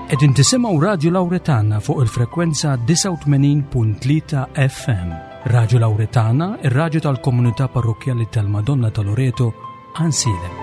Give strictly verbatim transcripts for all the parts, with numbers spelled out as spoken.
Qegħdin tisimgħu Radju Lawretana fuq il-frekwenza disgħa u tmenin punt tlieta F M. Radju Lawretana, ir-radju tal-komunità parrokkjali tal-Madonna ta' Loreto, Għajnsielem.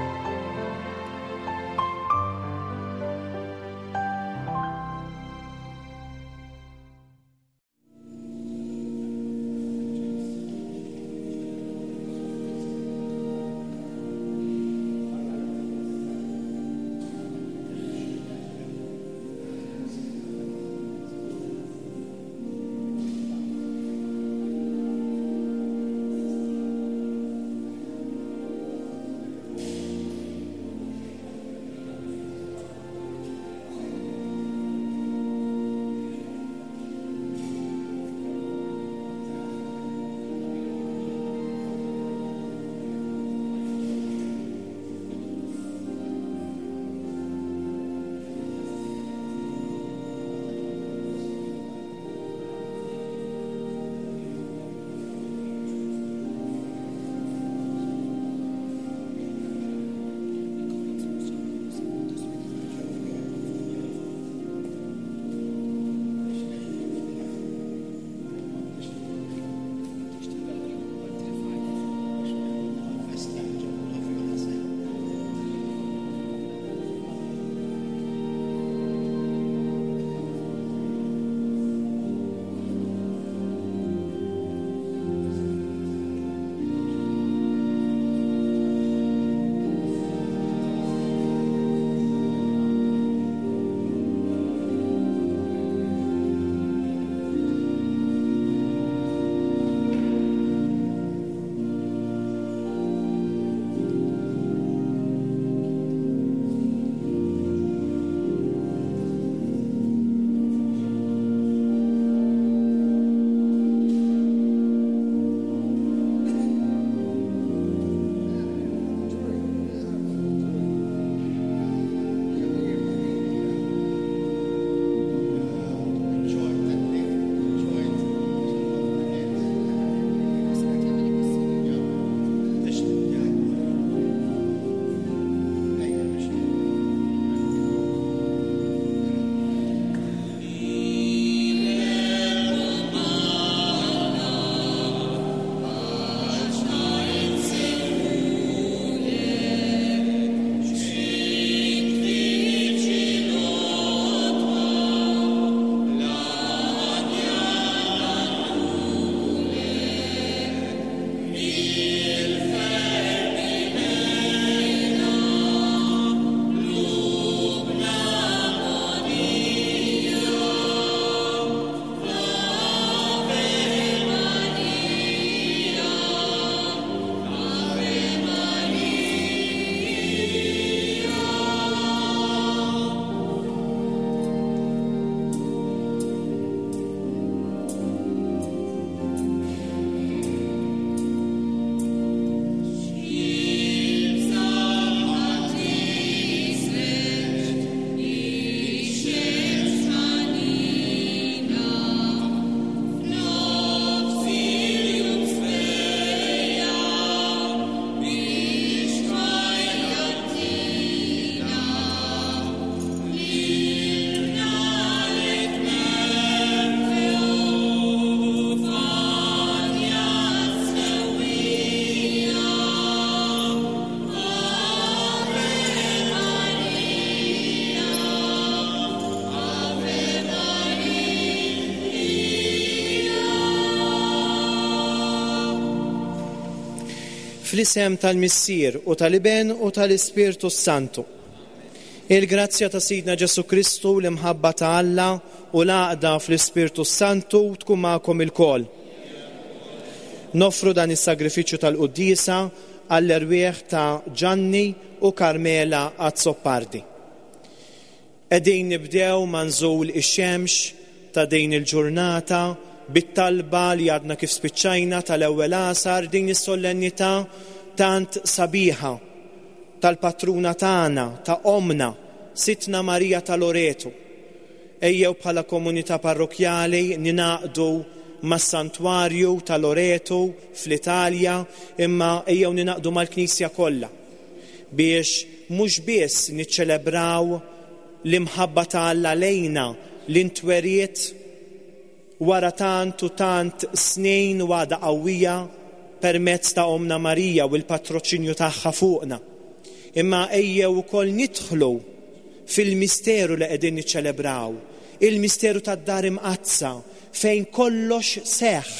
Fl-isem tal-Missier u tal-Iben u tal-Ispirtu Santu. Il-grazzja ta' Sidna Ġesu Kristu, l-imħabba ta' Alla u l-għaqda fl-Ispirtu Santu tkun magħkom ilkoll. Nofru dan is-sagrifiċċju tal-quddiesa għall-erwieħ ta' Gianni u Carmela Azzopardi. Qegħdin nibdew ma' nżul ix-xemx ta' din il-ġurnata bit-talba li għadna kif spiċċajna tal-ewwel għasar, din is-solennità tant sabiħa tal-patruna tagħna, ta' omna, Sidtna Marija ta' Loreto. Ejjew bħala komunità parrokjali ninaqdu mas-santwarju ta' Loreto fl-Italja, imma ejjew ninaqdu mal-Knisja kollha biex mhux biss niċċelebraw l-imħabba ta' Alla lejna li ntweriet wara tant u tant snin u għadha qawwija permezz ta' Omna Marija u l-patroċinju tagħha fuqna. Imma ejjew ukoll nidħlu fil-misteru li qegħdin niċċelebraw, il-misteru tad-dar imqaddsa fejn kollox seħħ,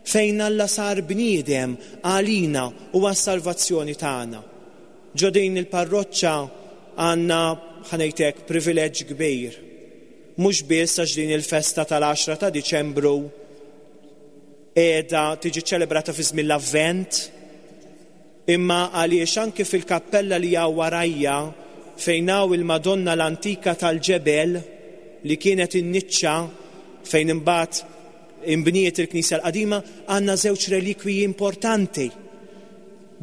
fejn Alla sar bniedem għalina u għas-salvazzjoni tagħna. Ġo din il-parroċċa għandna, ħa ngħidlek, privileġġ kbir. Mhux biss għax din il-festa tal-għaxra ta' Diċembru qiegħda tiġi ċelebrata fi żmien l-Avvent, imma għaliex anke fil-kappella li hawn warajja fejn hawn il-Madonna l-antika tal-ġebel li kienet in-niċċa fejn imbagħad imbniet il-Knisja l-qadima, għandna żewġ relikwiji importanti.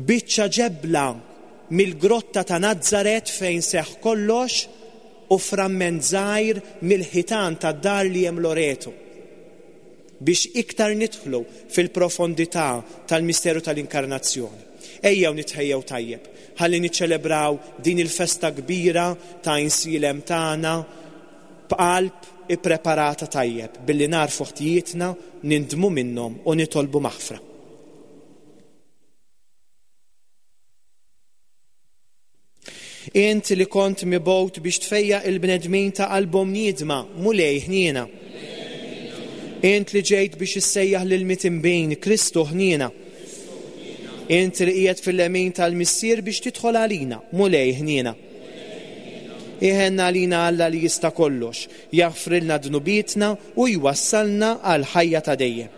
Biċċa ġebla mill-grotta ta' Nazzaret fejn seħħ kollox u framment żgħir mill-ħitan tad-dar li hemm Loreto, biex iktar nidħlu fil-profondità tal-misteru tal-inkarnazzjoni. Ejjew nitħejjew tajjeb, ħalli niċċelebraw din il-festa kbira ta' Għajnsielem tagħna b'qalb ippreparata tajjeb, billi narfu ħtijietna, nindmu minnhom u nitolbu maħfra. Int li kont mibgħut biex tfejjaq il-bnedmin ta' qalbhom niedma, Mulej ħniena. Int li ġejt biex issejjaħ lil mitinbin, Kristu ħniena. Int li qiegħed fil-lemin tal-Missier biex tidħol għalina, Mulej ħniena. Iħenna għalina Alla li jista' kollox, jaħfrilna dnubietna u jwassalna għal ħajja ta' dejjem.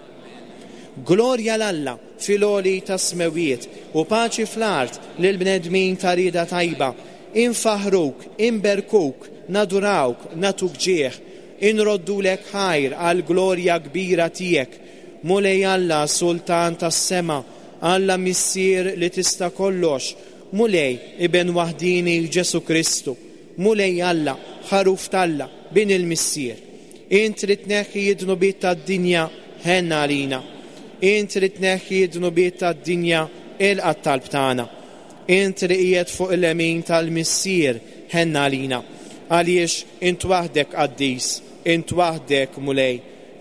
Glorja l-Alla fil-għoli tas-smewiet u paċi fl-art lil bnedmin ta' rieda tajba. Infaħruk, inberkuk, nadurawk, natuk ġieħ, inroddulek ħajr għal glorja kbira tiegħek. Mulej Alla, Sultan tas-sema, Alla Missier li tista' kollox, Mulej Iben waħdini Ġesu Kristu, Mulej Alla, ħaruf t'Alla, bin il-Missier. Int li tneħħi d-dnubiet tad-dinja, ħenna għalina. Int li tneħħi d-dnubiet tad-dinja, ilqa' t-talb tagħna. Int li qiegħed fuq il-lemin tal-Missier, ħenna għalina. Għaliex int waħdek qaddis, int waħdek Mulej,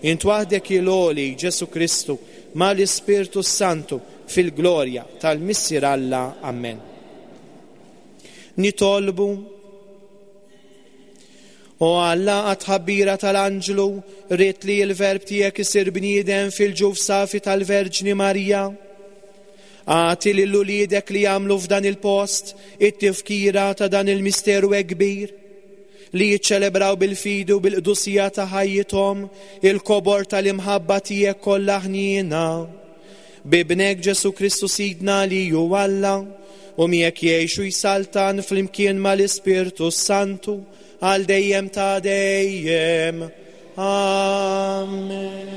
int waħdek il-għoli Ġesu Kristu, mal-Ispirtu Santu, fil-glorja tal-Missier Alla. Amen. Nitolbu. O Alla, għat-tħabbira tal-anġlu, rrid li l-verb tiegħek isir bniedem fil-ġuf safi tal-Verġni Marija. Agħti lil uliedek li jagħmlu f'dan il-post it-tifkira ta' dan il-misteru hekk kbir, li jiċċelebraw bil-fidi u bil-qdusija ta' ħajjithom il-kobor tal-imħabba tiegħek kollha ħniena. Bibnek Ġesu Kristu Sidna li hu Alla, u miegħek jgħixu jsaltan flimkien mal-Ispirtu Santu għal dejjem ta' dejjem. Amen.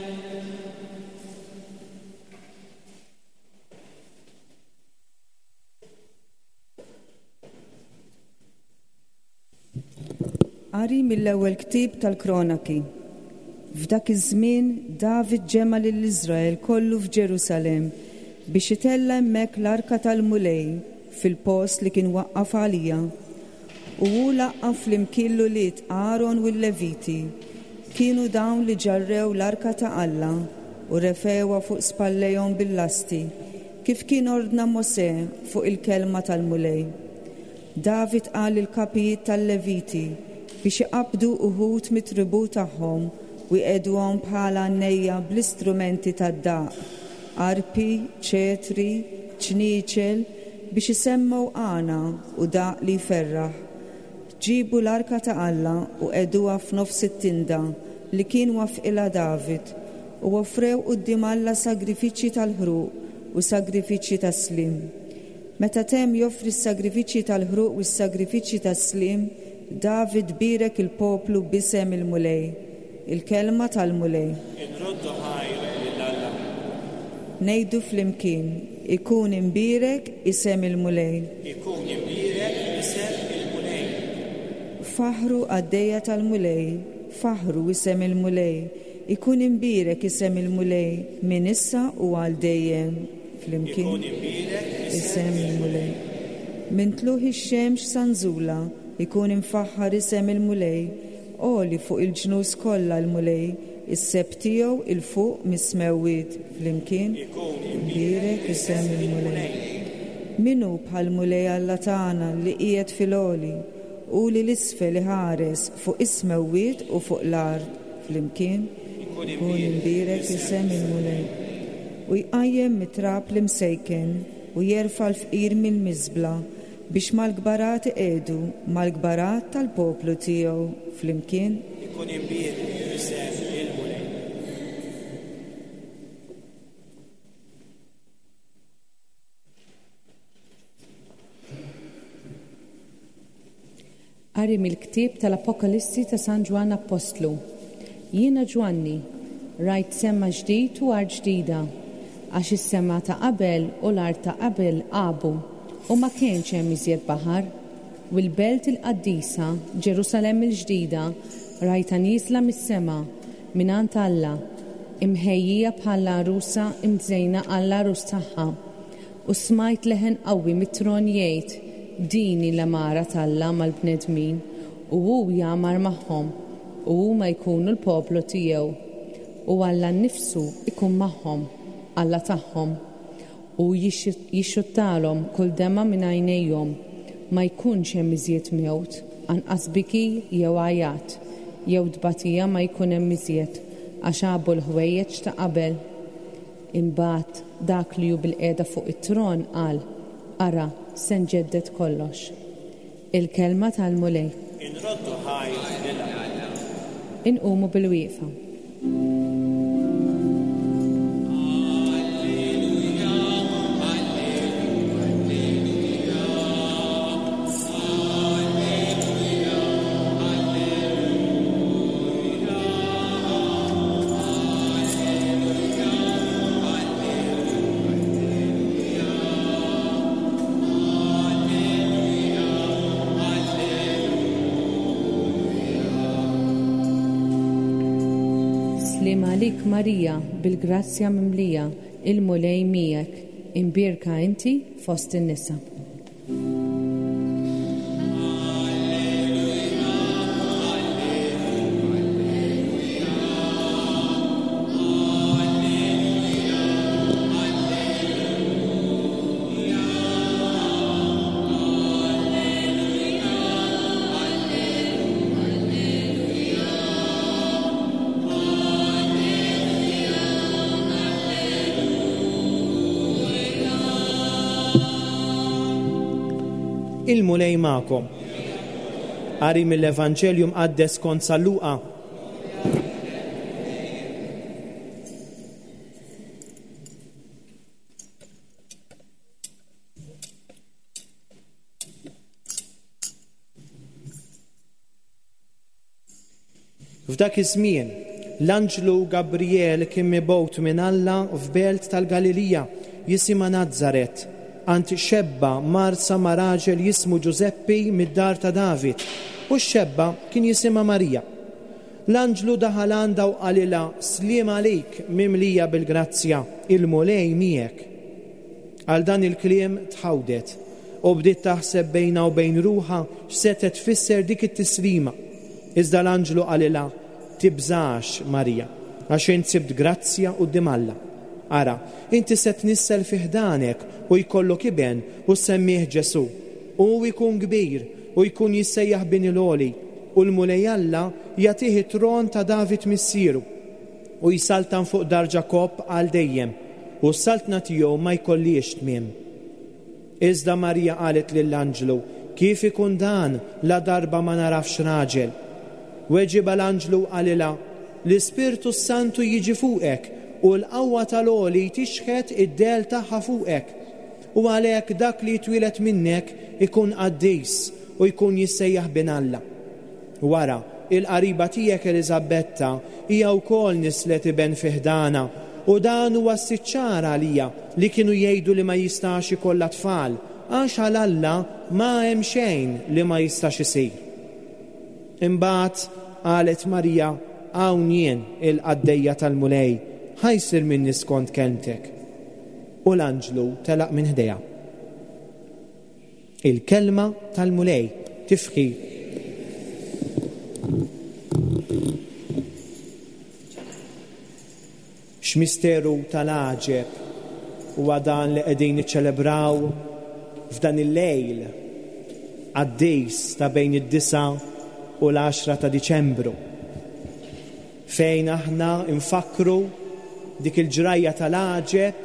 Qari mill-ewwel ktieb tal-Kronaki. F'dak iż-żmien David ġema' lil Iżrael kollu f'Ġerusalemm biex itella' hemmhekk l-arka tal-Mulej fil-post li kien waqqaf għalija. U hu laqqa' flimkien l-ulied Aaron u l-Leviti. Kienu dawn li ġarrew l-arka ta' Alla u refewha fuq spallejhom bil-lasti, kif kien ordna Mosè fuq il-kelma tal-Mulej. David qal lill-kapijiet tal-Leviti biex iqabdu uħud mit-tribù tagħhom u jqegħduhom bħala għannejja bl-istrumenti tad-daq, arpi, ċetri, ċnieċel, biex isemmgħu għana u daq li jferraħ. Ġibu l-arka ta' Alla u qegħduha f'nofs it-tinda li kien wafqilha David, u offrew quddiem Alla sagrifiċċji tal-ħruq u sagrifiċċji tas-sliem. Meta temm joffri s-sagrifiċċji tal-ħruq u s-sagrifiċċji tas-sliem, David bierek il-poplu b'isem il-Mulej. Il-kelma tal-Mulej. Inroddu ħajr lil Alla. Ngħidu flimkien, ikun imbierek isem il-Mulej. Ikun imbierek isem il-Mulej. Faħru għaddejja tal-Mulej, faħru isem il-Mulej, ikun imbierek isem il-Mulej minn issa u għal dejjem. Flimkien Ikun imbierek isem il-Mulej. Min tluħ ix-xemx sa nżula, Ikun imfaħħar isem il-Mulej, għoli fuq il-ġnus kollha l-Mulej, is-seb tiegħu 'il fuq mis-smewwiet flimkien. Ikun Imbierek isem il-Mulej. Min hu bħall-Mulej Alla tagħna li qiegħed fil-għoli u li l-isfel iħares fuq is-smewwiet u fuq l-art flimkien. Ikun imbierek isem il-Mulej. U jqajjem mit-trab l-imsejken u jerfa' l-fqir mill-miżbla biex mal-kbarat iqiegħdu mal-kbarat tal-poplu tiegħu flimkien. Ikun imbierek isem il-Mulej. Qari mill-ktieb tal-Apokalissi ta' San Ġwann Appostlu. Jiena Ġwanni, rajt sema ġdid u art ġdida, għax is-sema ta' qabel u l-art ta' qabel għabu u ma kienx hemm iżjed baħar. U l-belt il-qaddisa, Ġerusalemm il-ġdida, rajtha nieżla mis-sema mingħand Alla, imħejjija bħala għarusa imżejna għall-għarus tagħha. U smajt leħen qawwi mit-tron jgħid, din hi l-għamara t'Alla mal-bnedmin, u hu jagħmar magħhom, u huma jkunu l-poplu tiegħu. U Alla nnifsu ikun magħhom, Alla tagħhom, u jixxuttalhom kull dema minn għajnejhom, ma jkunx hemm iżjed mewt, anqas biki jew għajat, jew tbatija ma jkun hemm iżjed, għax għabu l-ħwejjeġ ta' qabel. Imbagħad dak li hu bil-qiegħda fuq it-tron qal, ara, se nġedded kollox. Il-kelma tal-Mulej. Inroddu ħajr lil Alla. Inqumu bil-wieqfa. Sliem għalik Marija, bil-grazzja mimlija, il-Mulej miegħek, imbierka inti fost in-nisa. Il-Mulej magħkom. Qari mill-Evanġelju mqaddes kont San Luqa. F'dak iż-żmien, l-anġlu Gabriel kien mibgħut minn Alla f'belt tal-Galilija jisimha Nazaret, għand xebba marsa ma' raġel jismu Ġużeppi mid-dar ta' David, u x-xebba kien jisimha Marija. L-anġlu daħal għandha u qalilha, sliem għalik mimlija bil-grazzja, il-Mulej miegħek. Għal dan il-kliem tħawdet u bdiet taħseb bejna u bejn ruħha x'setet tfisser dik it-tislima. Iżda l-anġlu qalilha, tibżax Marija, għax int sibt grazzja quddiem Alla. Ara, inti se tnissel fi ħdanek u jkollok iben u semmih Ġesu. U jkun kbir u jkun jissejjaħ bin il-għoli, u l-Mulej Alla jagħtih it-tron ta' David missieru u jsaltan fuq dar Ġakobb għal dejjem, u s-saltna tiegħu ma jkollix tmiem. Iżda Marija qalet lill-anġlu, kif ikun dan la darba ma narafx raġel? Weġiba l-anġlu qalilha, l-Ispirtu Santu jiġi fuqek u l-qawwa tal-għoli tixħet id-del tagħha fuqek. U għalhekk dak li jitwieled minnek ikun qaddis u jkun jissejjaħ bin Alla. Wara, il-qariba tiegħek Eliżabetta hija wkoll nislet iben fi ħdana, u dan huwa s-siċċar għalija li kienu jgħidu li ma jistax ikollha tfal, għax għal Alla ma hemm xejn li ma jistax isir. Imbagħad qalet Marija, hawn jien il-qaddejja tal-Mulej, ħajsir minni skont kelmtek. U l-anġlu telaq minn ħdejha. Il-kelma tal-Mulej. Tifħir. X'misteru tal-għaġeb huwa dan li qegħdin niċċelebraw f'dan il-lejl qaddis ta' bejn id-disa u l-għaxra ta' Diċembru, fejn aħna nfakru dik il-ġrajja tal-għaġeb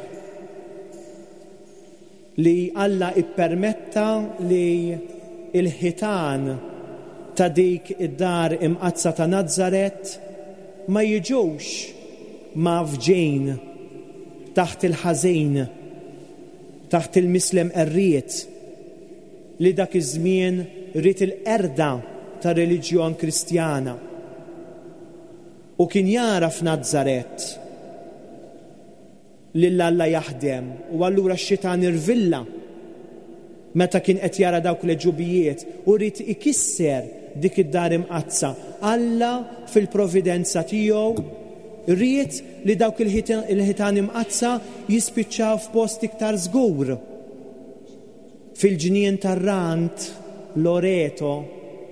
li Alla ippermetta li l-ħitan ta' dik id-dar imqaddsa ta' Nazaret ma jiġux mafġin taħt il-ħażin, taħt il-mislem qerriet li dak iż-żmien ried il-qerda ta' reliġjon Kristjana. U kien jara f'Nazaret lil Alla jaħdem, u allura x-xitan irvilla meta kien qed jara dawk l-ġubijiet u ried ikisser dik id-dar imqaddsa. Alla fil-providenza tiegħu ried li dawk il-ħitan imqaddsa jispiċċaw f'post iktar żgur, fil-ġnien tar-Rant, Loreto,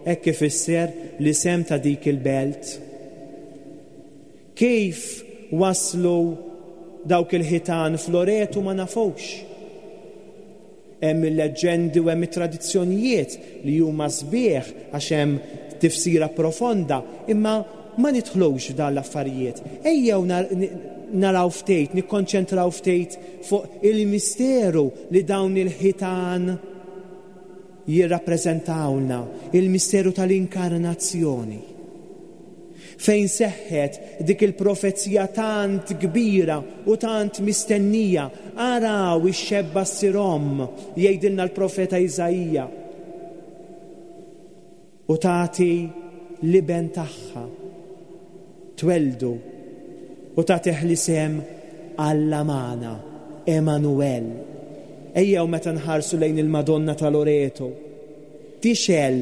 hekk ifisser l-isem ta' dik il-belt. Kif waslu dawk il-ħitan f'Loreto ma nafux. Hemm il-leġġendi u hemm it-tradizzjonijiet li huma sbieħ għax hemm tifsira profonda, imma ma nidħlux f'dan l-affarijiet. Ejjew naraw ftit, nikkonċentraw ftit fuq il-misteru li dawn il-ħitan jirrappreżentawlna, il-misteru tal-inkarnazzjoni, fejn seħħet dik il-profezija tant kbira u tant mistennija. Araw ix-xebba ssir omm, jgħidilna l-profeta Iżaija, u tagħti l-iben tagħha, tweldu u tagħtih l-isem Alla magħna, Emanuel. Ejjew meta nħarsu lejn il-Madonna ta' Loreto, tixel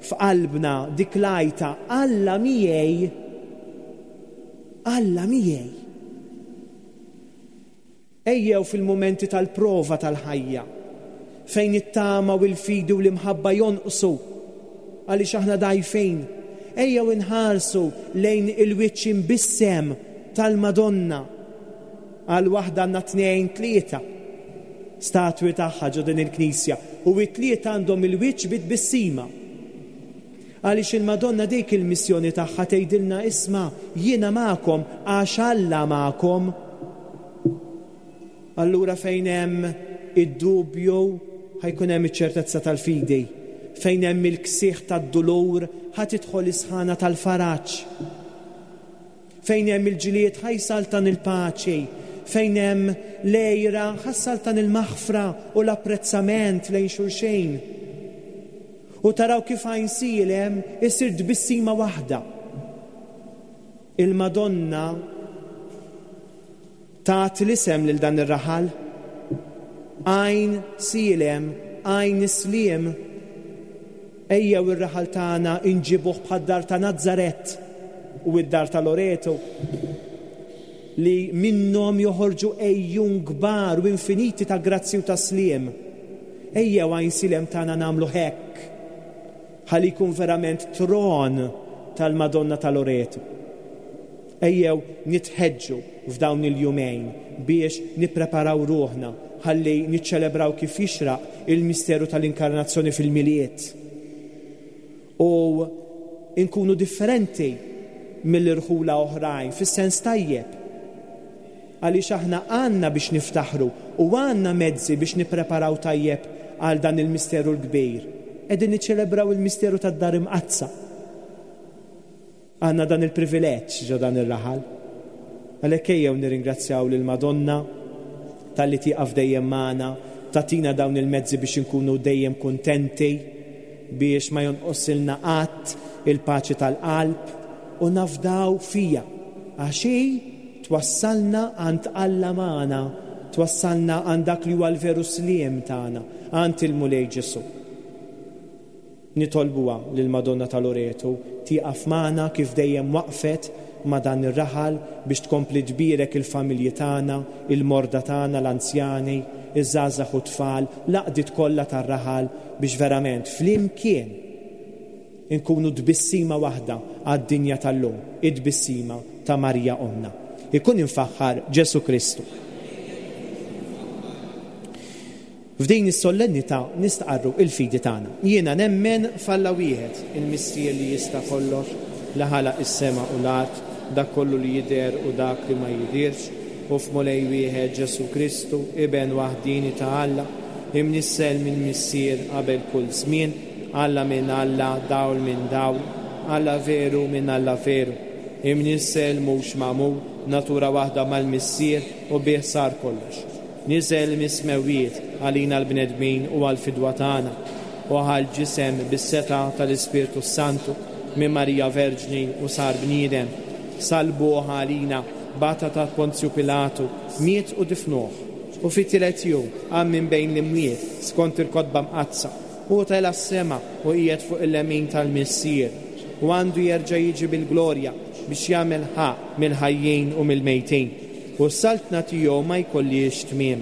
f'qalbna dik l-għajta Alla miegħi, Alla miegħi. Ejjew fil-mumenti tal-prova tal-ħajja, fejn it-tama u l-fidi u l-imħabba jonqsu għaliex aħna dgħajfin, ejjew inħarsu lejn il-wiċċ imbissem tal-Madonna. Għal waħda għandna tnejn tlieta statwi tagħha ġo din il-knisja, u it-tlieta għandhom il-wiċċ bit-tbissima. Għaliex il-Madonna dik il-missjoni tagħha tgħidilna isma' jiena magħkom għax Alla magħkom. Allura fejn hemm id-dubju ħajkun hemm iċ-ċertezza tal-fidi, fejn hemm il-ksieħ tad-dulur ħa tidħol is-sħana tal-faraġ, fejn hemm il-ġlied ħajsaltan il-paċi, fejn hemm l-għira ħassaltan il-maħfra u l-apprezzament lejn xulxejn. U taraw kif Għajnsielem isir tbissima waħda. Il-Madonna tat l-isem lil dan ir-raħal, Għajn Sielem, Għajn Sliem. Ejjew ir-raħal tagħna inġibuh bħad-dar ta' Nazaret u id-dar ta' Loreto, li minnhom joħorġu ejjun kbar u infiniti ta' grazzi u ta' sliem. Ejjew Għajnsielem tagħna nagħmlu hekk, ħalli jkun verament tron tal-Madonna ta' Loreto. Ejjew nitħeġġu f'dawn il-jumejn biex nippreparaw ruħna ħalli niċċelebraw kif jixraq il-misteru tal-inkarnazzjoni fil-Milied. U nkunu differenti mill-irħula oħrajn fis-sens tajjeb, għaliex aħna għandna biex niftaħru u għandna mezzi biex nippreparaw tajjeb għal dan il-misteru l-kbir. Qegħdin niċċelebraw il-misteru tad-dar imqaddsa. Għandna dan il-privileġġ ġo dan ir-raħal. Għalhekk ejjew nirringrazzjaw lill-Madonna talli tieqaf dejjem magħna, tagħtina dawn il-mezzi biex inkunu dejjem kuntenti, biex ma jonqosilna qatt il-paċi tal-qalb, u nafdaw fija għax hi twassalna għand Alla magħna, twassalna għand dak li huwa l-veru sliem tagħna, għand il-Mulej Ġesu. Nitolbuha lill-Madonna ta' Loreto tieqaf magħna kif dejjem waqfet ma' dan ir-raħal biex tkompli tbierek il-familji tagħna, il-morda tagħna, l-anzjani, iż-żgħażagħ u tfal, l-għaqdiet kollha tar-raħal biex verament flimkien inkunu tbissima waħda għad-dinja tal-lum, it-tbissima ta' Marija Omna. Ikun imfaħħar Ġesù Kristu. F'din is-solennità nistqarru il-fidi tagħna. Jiena nemmen f'Alla wieħed, il-Missier li jista' kollox, li ħalaq is-sema u l-art, dak kollu li jidher u dak li ma jidhirx, u f'Mulej wieħed Ġesù Kristu, Iben waħdini ta' Alla, imnissel minn Missier qabel kull żmien, Alla minn Alla, dawl minn dawl, Alla veru minn Alla veru, imnissel mhux magħmul, natura waħda mal-Missier u bih sar kollox. Niżel mis-smewwiet għalina l-bnedmin u għall-fidwa tagħna, u ħa l-ġisem bis-setgħa tal-Ispirtu Santu minn Marija Verġni u sar bniedem. Salbuh għalina, bata ta' Ponzju Pilatu, miet u difnuh, u fit-tielet jum qam minn bejn l-imwiet skont il-kotba mqaddsa, u tela' s-sema u qiegħed fuq il-lemin tal-Missier, u għandu jerġa' jiġi bil-glorja biex jagħmel ħaqq mill-ħajjin u mill-mejtin, u s-saltna tiegħu ma jkollhiex tmiem.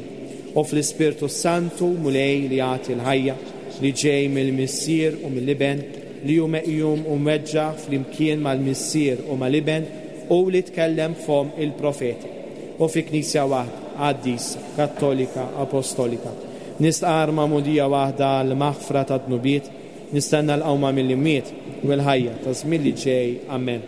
U fl-Ispirtu Santu Mulej li jagħti l-ħajja, li ġej mill-Missier u mill-Iben, li hu meqjum u mweġġa' flimkien mal-Missier u mal-Iben, u li tkellem fom il-profeti. U fi Knisja waħda, qaddisa, Kattolika, Apostolika, nistqarr magħmudija waħda għall-maħfra ta' dnubiet, nistenna l-qawma mill-imwiet u l-ħajja ta' żmien li ġej. Amen.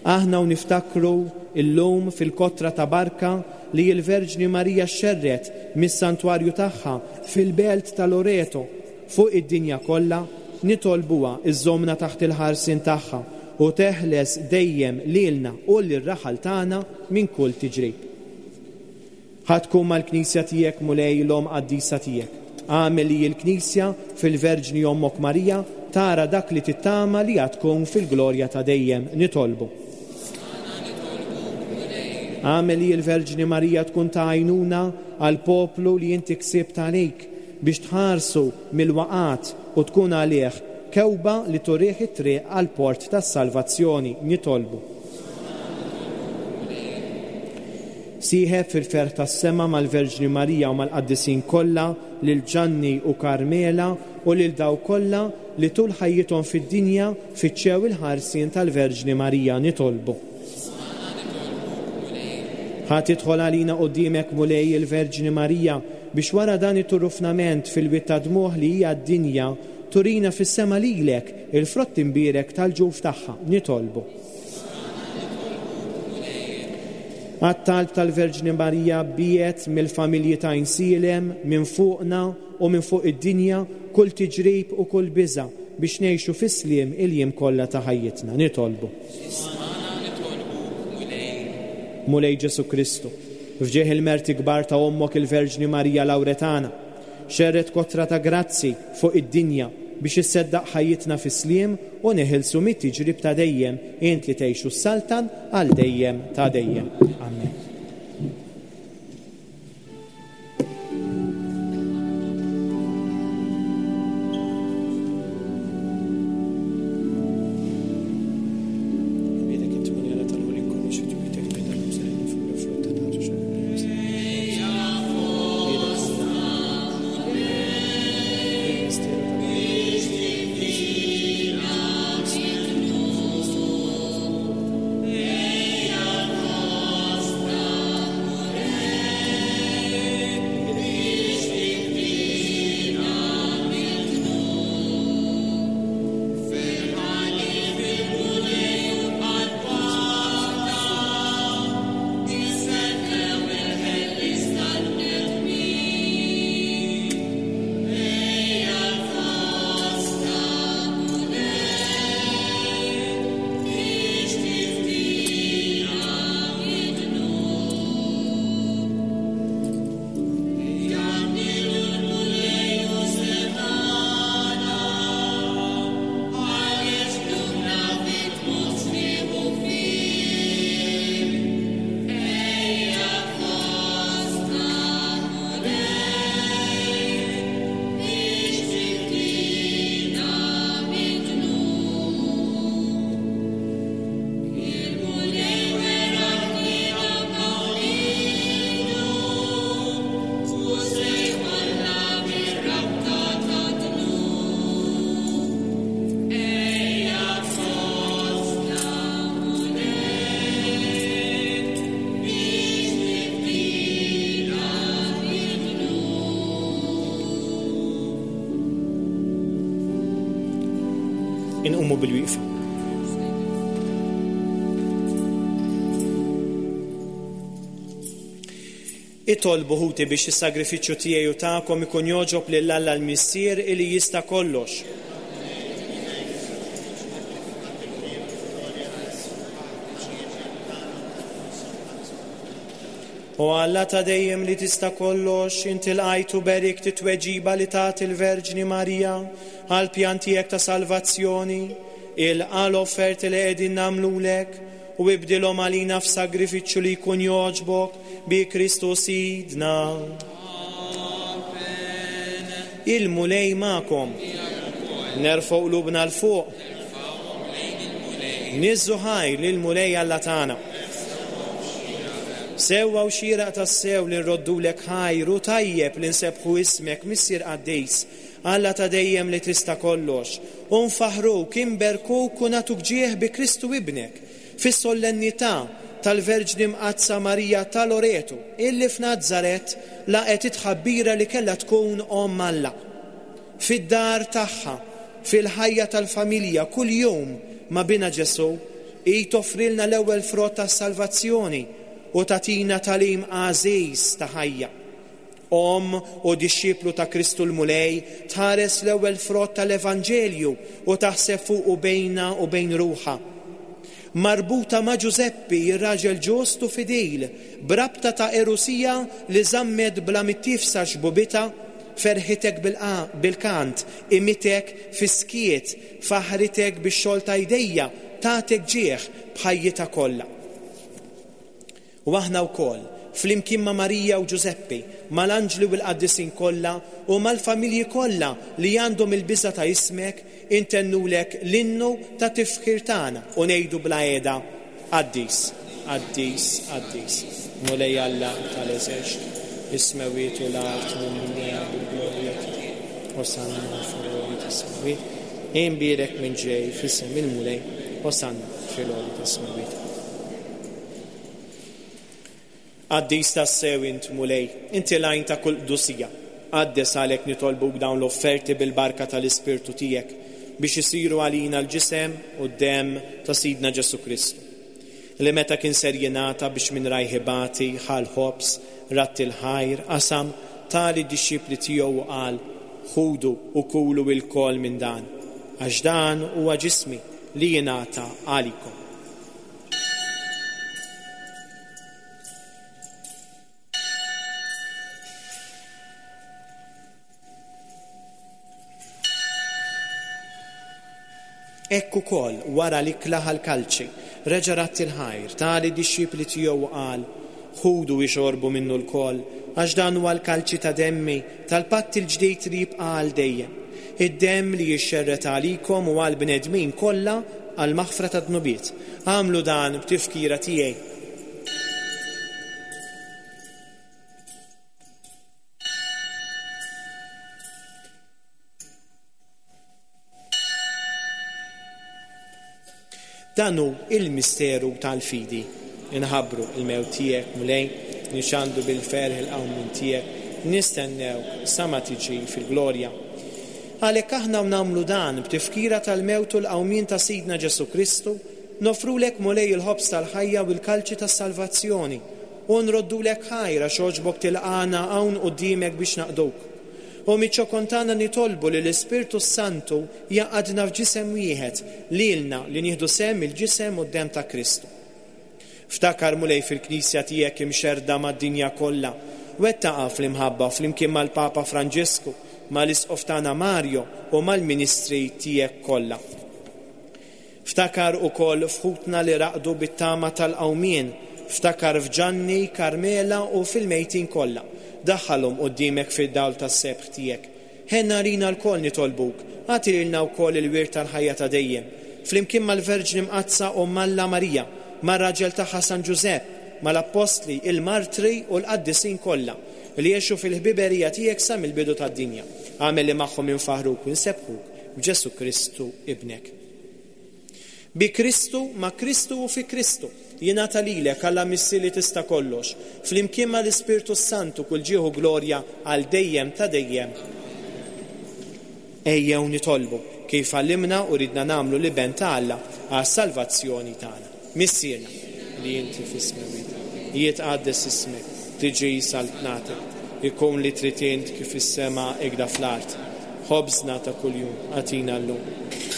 Aħna u niftakru illum fil-kotra ta' barka li l-Verġni Marija xerret mis-santwarju tagħha fil-belt ta' Loreto fuq id-dinja kollha, nitolbuha iżżommna taħt il-ħarsien tagħha u teħles dejjem lilna u lir-raħal tagħna minn kull tiġrib. Ħa tkun mal-Knisja tiegħek Mulej l-Omm qaddisa tiegħek. Agħmel li l-Knisja fil-Verġni Ommok Marija tara dak li tittama li għad tkun fil-glorja ta' dejjem. Nitolbu. Agħmel li l-Verġni Marija tkun ta' għajnuna għal poplu li inti ksibt għalik biex tħarsu mill-waqat u tkun għalih kewba li turih it-triq għal port tas-salvazzjoni. Nitolbu. Sieħeb fil-ferħ tas-sema mal-Verġni Marija u mal-qaddisin kollha, lil Ġanni u Karmela u lil daw kollha li tul ħajjithom fid-dinja fittxew il-ħarsien tal-Verġni Marija. Nitolbu. Ħa tidħol għalina quddiemek Mulej il-Verġni Marija biex wara dan it-turufnament fil-wied ta' dmuħ li hija d-dinja turina fis-sema lilek il-frott imbierek tal-ġuf tagħha. Nitolbu. Għat-talb tal-Verġni Marija biet mill-familji ta' Insilem minn fuqna u minn fuq id-dinja kull tiġrib u kull biża' biex ngħixu fis-sliem il-jiem kollha ta' ħajjitna. Nitolbu. Mulej Ġesù Kristu, f'ġieħ il-merti kbar ta' Ommok il-Verġni Marija Lawretana, xerret kotra ta' grazzi fuq id-dinja biex isseddaq ħajjitna fis-sliem u neħilsu mit-tiġrib ta' dejjem, int li tgħixu s-saltan għal dejjem ta' dejjem. Amen. Inqumu bil-wieqfa. Itolbu ħuti biex is-sagrifiċċju tiegħi u tagħkom ikun jogħġob lil Alla l-Missier li jista' kollox. O Alla ta' dejjem li tista' kollox, inti lqajt u berikt it-tweġiba li tat il-Verġni Marija għal pjan tiegħek ta' salvazzjoni, ilqa' l-offerti li qegħdin nagħmlulek u ibdilhom għalina f'sagrifiċċju li jkun jogħġbok bi Kristu Sidna. Il-Mulej magħkom. Nerfgħu qlubna 'l fuq. Niżżu ħajr lill-Mulej Alla tagħna. Sewwa u xieraq tassew li nroddulek ħajr u tajjeb li nsebbħu ismek, Missier Qaddis, Alla ta' dejjem li tista' kollox, u nfaħruk, inberkuk u nagħtuk ġieħ bi Kristu Ibnek, fis-solennità tal-Verġni Mqaddsa Marija ta' Loreto, illi f'Nazaret laqgħet it-tħabbira li kellha tkun omm Alla. Fid-dar tagħha, fil-ħajja tal-familja, kuljum ma' bina Ġesù, hi toffrilna l-ewwel frott tas-salvazzjoni u tagħtina tagħlim għażiż ta' ħajja. Omm u dixxiplu ta' Kristu l-Mulej tħares l-ewwel frott tal-Evanġelju u taħseb fuqu bejna u bejn ruħha. Marbuta ma' Ġużeppi, ir-raġel ġust u fidil, b'rabta ta' erusija li żammet bla mittifsa xbubita, ferħitek bil-kant, imitek fis-skiet, faħritek bix-xogħol ta' jdejja, tagħtek ġieħ b'ħajjitha kollha. U aħna wkoll, flimkien ma' Marija u Ġużeppi, mal-anġli u l-qaddisin kollha u mal-familji kollha li għandhom il-biża' ta' ismek, intennulek l-innu ta' tifħir tagħna u ngħidu bla qiegħda: Qaddis, qaddis, qaddis, Mulej Alla tal-eżerċti, is-smewwiet u l-art mimlija bil-glorja tiegħek. Osanna fil-għoli tas-smewwiet. Imbierek minn ġej f'isem il-Mulej, Osanna fil-għoli tas-smewwiet. Qaddis tassew int Mulej, inti l-għajn ta' kull qdusija. Qaddes għalhekk nitolbuk dawn l-offerti bil-barka tal-Ispirtu tiegħek biex isiru għalina l-ġisem u d-demm ta' Sidna Ġesù Kristu, li meta kien ser jingħata biex minn rajh ibati, ħa l-ħobż, ratt il-ħajr, qasam, ta lid-dixxipli tiegħu u qal: Ħudu u kulu lkoll minn dan, għax dan huwa ġismi li jingħata għalikom. Hekk ukoll wara li klaħ l-kalċi, reġa' ratt il-ħajr, ta lid-dixxipli tiegħu u qal: Ħudu ixorbu minnu lkoll, għax dan huwa l-kalċi ta' demmi tal-patt il-ġdid li jibqa' għal dejjem. Id-demm li jixxerret għalikom u għal bnedmin kollha għal maħfra ta' dnubiet. Agħmlu dan b'tifkira tiegħi. Dan hu il-misteru tal-fidi. Inħabbru il-mewt tiegħek, Mulej, nixandu bil-ferħ il-qawmien tiegħek, nistennew sa ma tiġi fil-glorja. Għalhekk aħna nagħmlu dan b'tifkira tal-mewt u l-qawmien ta' Sidna Ġesù Kristu, nofrulek Mulej il-ħobż tal-ħajja u l-kalċi tas-salvazzjoni, u nroddulek ħajr għax għoġbok tilqana hawn quddiemek biex naqduk. U miċ-ċokon tagħna nitolbu li l-Ispirtu Santu jaqadna f'ġisem wieħed lilna li nieħdu sehem il-ġisem u d-demm ta' Kristu. Ftakar Mulej fil-Knisja tiegħek imxerda mad-dinja kollha, wettaqa fl-imħabba flimkien mal-Papa Franġisku, mal-Isqof tagħna Mario u mal-ministri tiegħek kollha. Ftakar ukoll f'ħutna li raqdu bit-tama tal-qawmien, ftakar f'Ġanni, Karmela u fil-mejtin kollha. Daħħalhom quddiemek fid-dawl tas-sebħ tiegħek. Ħenna għalina lkoll nitolbuk, agħti lilna wkoll il-wirt tal-ħajja ta' dejjem. Flimkien mal-Verġni Mqaddsa u Alla Marija, mar-raġel tagħha San Ġużepp, mal-Appostli, il-Martri u l-Qaddisin kollha li għexu fil-ħbiberija tiegħek sa mill-bidu tad-dinja. Agħmel li magħhom infaħruk u nsebbħuk b'Ġesù Kristu ibnek. Bi Kristu, ma' Kristu u fi Kristu, jingħata lilek Alla Missier li tista' kollox, flimkien mal-Ispirtu Santu kull ġieħu glorja għal dejjem ta' dejjem. Ejjew nitolbu. kif għallimna u ridna nagħmlu l-Iben ta' Alla għas-salvazzjoni tagħna. Missierna li inti fis-smewwiet, jitqaddes ismek, tiġi saltnatek, ikun li trid int kif is-sema ikda fl-art. Ħobżna ta' kuljum agħtina llum.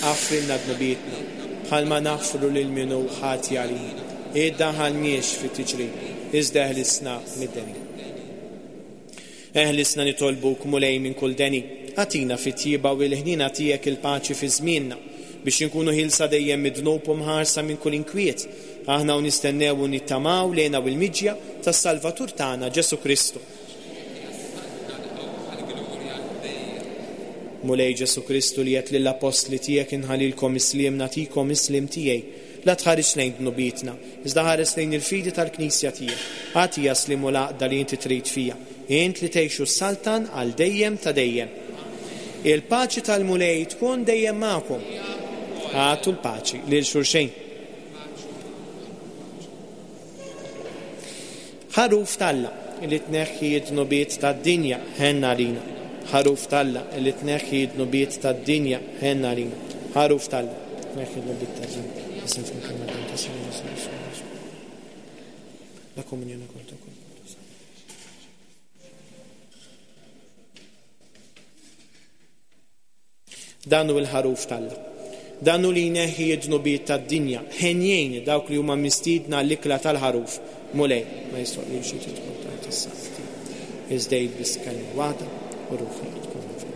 Aħfrilna dnubietna bħalma naħfru lil min hu ħati għalina. Iddaħħalniex fit-tiġrib, iżda eħlisna mid-deni. Eħlisna nitolbuk Mulej minn kull deni, agħtina fit-tjieba u l-ħniena tiegħek il-paċi fi żmienna, biex inkunu ħilsa dejjem mid-dnub u mħarsa minn kull inkwiet. Aħna u nistennew u nittamaw lejna u l-miġja tas-Salvatur tagħna Ġesu Kristu. Mulej Ġesu Kristu li għedt lill-appostli tiegħek inħallilkom is-sliem nagħtikom is-sliem tiegħi. La tħares lejn dnubietna, iżda ħares lejn il-fidi tal-Knisja tiegħek. Agħtiha s-sliem u l-għaqda li inti trid fija. Int li tgħix u ssaltan għal dejjem ta' dejjem. Il-paċi tal-Mulej tkun dejjem magħkom. Agħtu l-paċi lil xulxin. Ħaruf t'Alla li tneħħi d-dnubiet tad-dinja, ħenna għalina. Ħaruf t'Alla li tneħħi d-dnubiet tad-dinja, ħenna għalina. Ħaruf t'Alla tneħħi d-dnubiet tad-dinja. La comunione col tuo corpo. Dan hu l-ħaruf t'Alla. Dan hu li jneħħi d-dnubiet tad-dinja. Ħenjin dawk li huma mistiedna l-ikla tal-ħaruf. Mulej, ma jistgħoqlix li tidħol taħt is-saqaf tiegħi. Iżda għid biss kelma waħda u ruħi tkun fil-.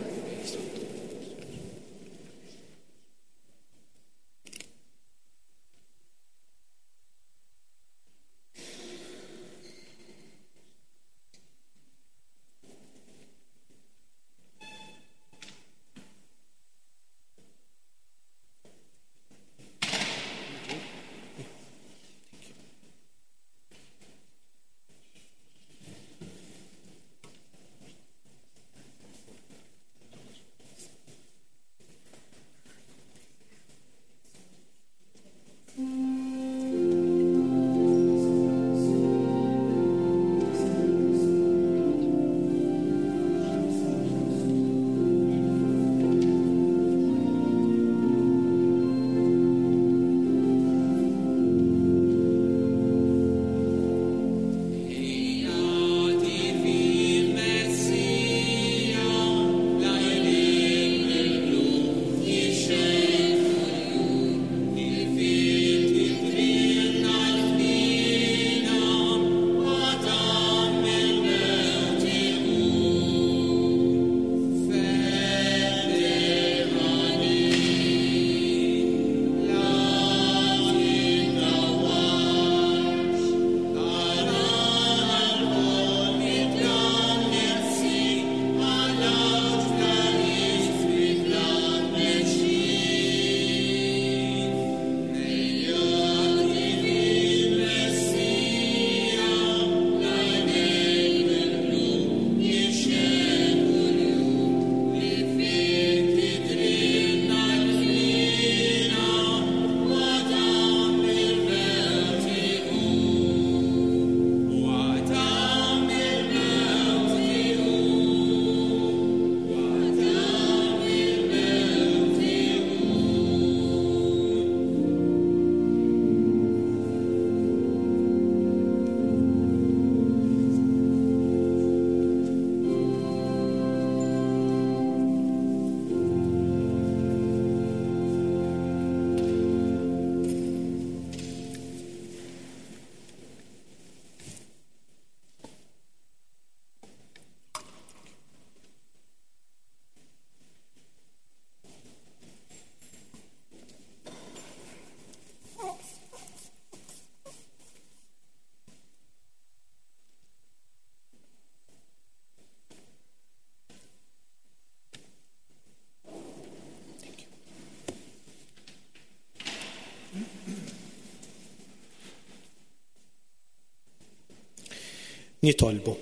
Nitolbu.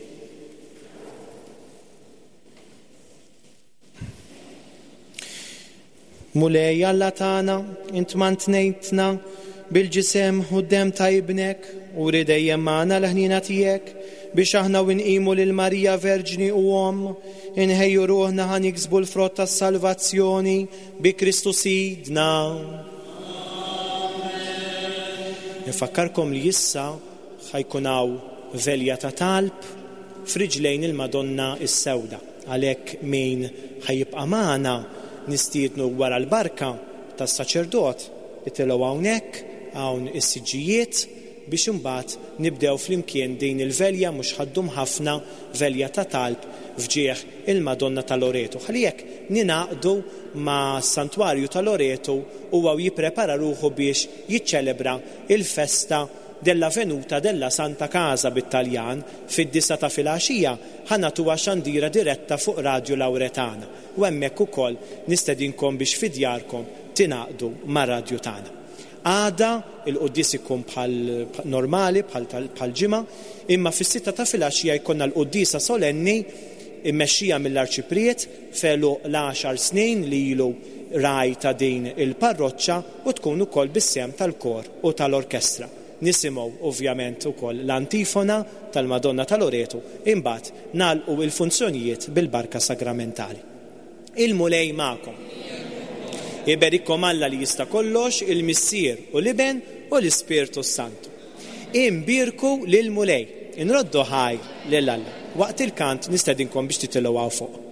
Mulej Alla tagħna, int mantnejtna bil-ġisem u d-demm ta' ibnek u ri dejjem magħna l-ħniena tiegħek Biex aħna u nqimu lil Marija Verġni u Omm, inħejju ruħna ħa niksbu l-frott tas-salvazzjoni bi Kristu Sidna. Nfakkarkom li issa ħa jkun hawn velja ta' talb f'riġlejn il-Madonna is-Sewda. Għalhekk min ħa jibqa' magħna nistiednu wara l-barka tas-saċerdot itilgħu hawnhekk hawn is-siġġijiet biex imbagħad nibdew flimkien din il-velja mhux ħa ddum ħafna, velja ta' talb f'ġieħ il-Madonna ta' Loreto. Ħalli hekk ninaqdu ma' Santwarju ta' Loreto u għaw jipprepara ruħu biex jiċċelebra il-festa della Venuta della Santa Casa bit-Taljan fid-disgħa ta' filgħaxija ħa nagħtuha xandira diretta fuq Radio Lauretana. U hemmhekk ukoll nistedinkom biex fi djarkom tingħaqdu mar-radju tagħna. Għada il-quddies ikun bħal normali, bħal bħal ġimgħa, imma fis-sitta ta' filgħaxija jkollna l-quddiesa solenni immexxija mill-Arċipriet felu l-għaxar snin li ilu raj ta' din il-parroċċa u tkun ukoll bis-sehem tal-kor u tal-orkestra. Nisimgħu ovvjament ukoll l-antifona tal-Madonna ta' Loreto, imbagħad nagħlqu il-funzjonijiet bil-barka sagramentali. Il-Mulej magħkom. Iberikkom Alla li jista' kollox, il-Missier u l-Iben u l-Ispirtu Santu. Imbierku lil Mulej, inroddu ħaj lil Alla. Waqt il-kant nistedinkom biex titilgħu hawn fuq.